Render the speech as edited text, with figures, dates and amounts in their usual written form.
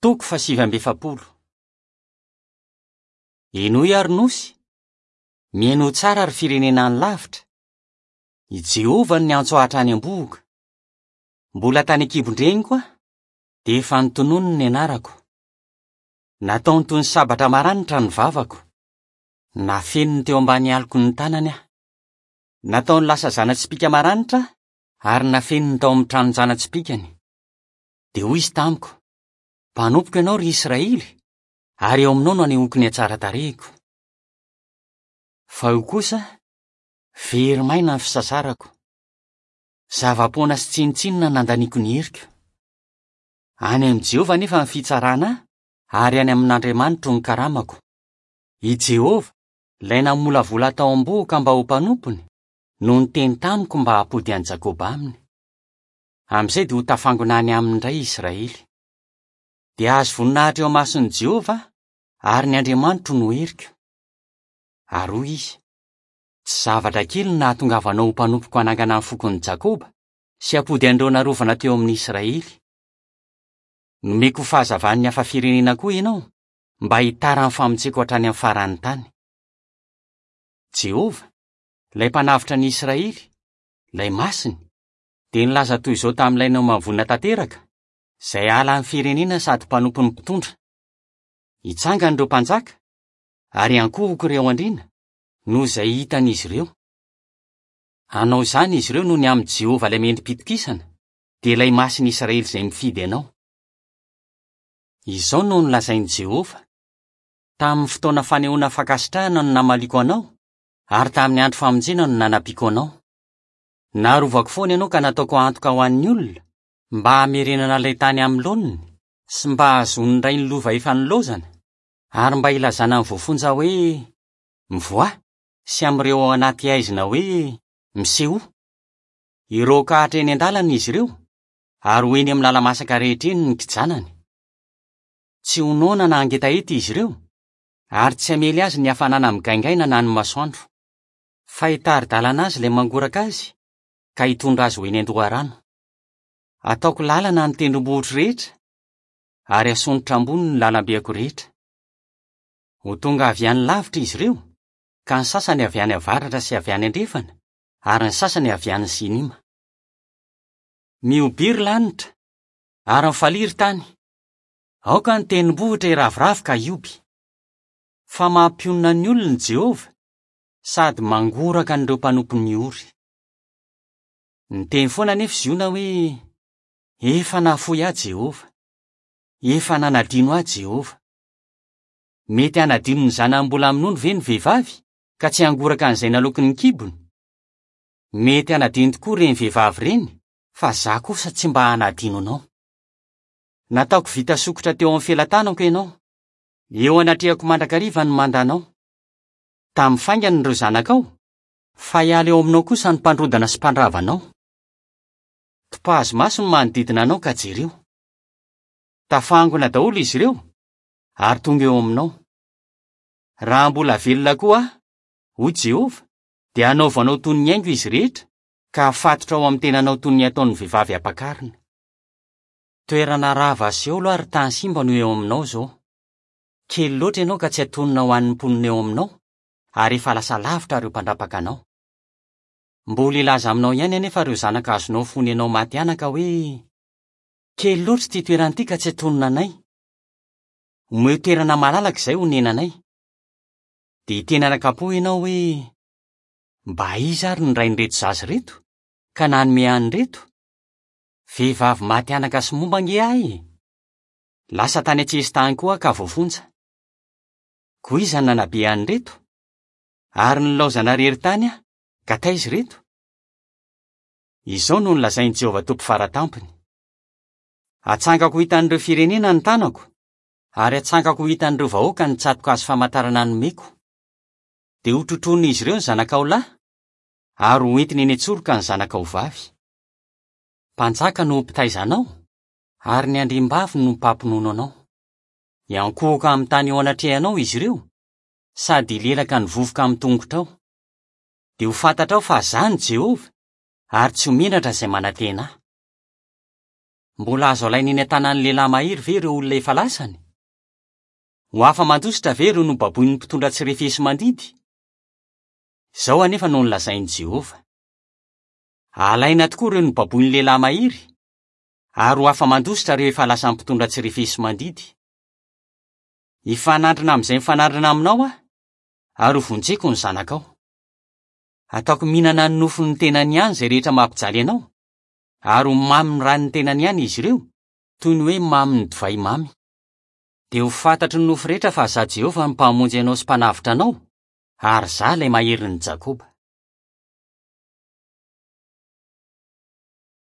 Toko faha-49. Henoy ary nosy, mihainoa tsara ry firenena any lavitra, I Jehovah no niantso ahy hatrany am-bohoka. Mbola tany an-kibon-dreniko aho, dia efa notononiny ny anarako. Nataony toy ny sabatra maranitra ny vavako. Nafeniny teo ambany aloky ny tanany aho. Nataony lasa zana-tsipìka maranitra aho, ary nafeniny tao amin'ny tranon-jana-tsipìkany. Dia hoy izy tamiko, Mpanompoko ianao, ry Israely, ary eo aminao no anehoako ny hatsaran-tarehiko. Fa io kosa, very maina ny fisasarako. Zava-poana sy tsinontsinona nandaniako ny heriko. Any amin'i Jehovah anefa ny fitsarana ahy, ary any amin'Andriamanitro ny karamako. I Jehovah, ilay namolavola tao am-bohoka mba ho mpanompony, no niteny tamiko mba hampody an'i Jakoba aminy. Amin'izay dia ho tafangona any aminy indray i Israely. Dia hahazo voninahitra eo imason'i Jehovah aho, ary ny Andriamanitro no heriko. Ary hoy izy, Tsy zavatra kely ny nahatongavanao ho mpanompoko hanangana ny fokon'i Jakoba sy hampody an'ireo narovana teo amin'i Israely. Nomeko ho fahazavan'ny hafa firenena koa ianao, mba hitaran'ny famonjeko hatrany amin'ny faran'ny tany. Jehovah, ilay Mpanavotra ny Israely, ilay Masiny, dia nilaza toy izao tamin'ilay nohamavoina tanteraka, izay halan'ny firenena sady mpanompon'ny mpitondra, Hitsangana ireo mpanjaka, ary hiankohoka ireo andriana, noho izay hitan'izy ireo. Hanao izany izy ireo noho ny amin'i Jehovah ilay mendri-pitokisana, dia ilay Masin'i Israely izay mifidy anao. Izao no nolazain'i Jehovah, Tamin'ny fotoana fanehoana fankasitrahana no namaliako anao, ary tamin'ny andro famonjena no nanampiako anao. Narovako foana ianao ka nataoko antoka ho an'ny olona, mba hamerenana ilay tany amin'ny laoniny, sy mba hahazoan'ny ray ny lova efa nilaozana, ary mba hilazana ny voafonja hoe, Mivoaha, sy amin'ireo ao anaty haizina hoe, Misehoa. Hiroaka hatreny an-dalana izy ireo, ary ho eny amin'ny lala-masaka rehetra eny ny kijanany. Tsy ho noana na hangetaheta izy ireo, ary tsy hamely azy ny hafanana migaingaina na ny masoandro. Fa hitari-dalana azy ilay mangoraka azy, ka hitondra azy ho eny an-doharano. Hataoko lalana ny tendrombohitro rehetra, ary hasondrotra ambony ny lalambeako rehetra. Ho tonga avy any lavitra izy ireo, ka ny sasany avy any avaratra sy avy any andrefana, ary ny sasany avy any Sinima. Mihobiry lanitra, ary mifalia ry tany! Aoka ny tendrombohitra hiraviravy ka hioby! Fa mampionona ny olony Jehovah, sady mangoraka an'ireo mpanompony ory. Niteny foana anefa Ziona hoe, Efa nahafoy ahy Jehovah. Efa nanadino ahy Jehovah. Mety hanadino ny zanany mbola minono ve ny vehivavy, ka tsy hangoraka an'izay naloaky ny kibony? Mety hanadino tokoa ireny vehivavy ireny, fa izaho kosa tsy mba hanadino anao. Nataoko vita sokitra teo amin'ny felatanako ianao. Eo anatrehako mandrakariva ny mandanao. Tamin'ny faingana ireo zanakao, fa hiala eo aminao kosa ny mpandrodana sy mpandrava anao. Topazo maso ny manodidina anao ka jereo. Tafangona daholo izy ireo, ary tonga eo aminao. Raha mbola velona koa aho, hoy Jehovah, dia hanaovanao toy ny haingo izy rehetra, ka hafatotra ao amin'ny tenanao toy ny ataon'ny vehivavy ampakarina. Toerana rava sy aolo ary tany simba no eo aminao izao. Kely loatra ianao ka tsy antonona ho an'ny mponina eo aminao, ary efa lasa lavitra ireo mpandrapaka anao. Mbola hilaza aminao ihany anefa ireo zanaka azonao fony ianao maty anaka hoe, Kely loatra ity toerana ity ka tsy antonona anay. Omeo toerana malalaka izay honenanay. Dia hiteny anakam-po ianao hoe, Mba iza ary ny rain'ireto zaza ireto, ka nanome an'ireto? Vehivavy maty anaka sy momba ange ahy e! Lasa tany an-tsesitany koa aho ka voafonja. Koa iza no nanabe an'ireto? Ary nilaozana irery tany aho, ka taiza ireto? Izao no nolazain'i Jehovah Tompo Fara Tampony, Hatsangako ho hitan'ireo firenena ny tanako, ary hatsangako ho hitan'ireo vahoaka ny tsato-kazo famantarana nomeko. Dia hotrotroin'izy ireo ny zanakao lahy, ary hoentiny eny an-tsoroka ny zanakao vavy. Mpanjaka no ho mpitaiza anao, ary ny andriambavy no mpampinono anao. Hiankohoka amin'ny tany eo anatrehanao izy ireo, sady hilelaka ny vovoka amin'ny tongotrao. Dia ho fantatrao fa Izaho no Jehovah, ary tsy ho menatra izay manantena ahy. Mbola azo alaina eny an-tanan'ny lehilahy mahery ve ireo olona efa lasany? Ho afa-mandositra ve ireo nobaboin'ny mpitondra tsy refesi-mandidy? Izao anefa no nolazain'i Jehovah, Alaina tokoa ireo nobaboin'ny lehilahy mahery, ary ho afa-mandositra ireo efa lasan'ny mpitondra tsy refesi-mandidy. Hifanandrina amin'izay mifanandrina aminao aho, ary hovonjeko ny zanakao. Hataoko mihinana ny nofon'ny tenany ihany izay rehetra mampijaly anao, ary ho mamy ny ran'ny tenany ihany izy ireo, toy ny hoe mamy ny divay mamy. Dia ho fantatry ny nofo rehetra fa Izaho Jehovah no Mpamonjy anao sy Mpanavotra anao, ary Izaho ilay Maherin'i Jakoba.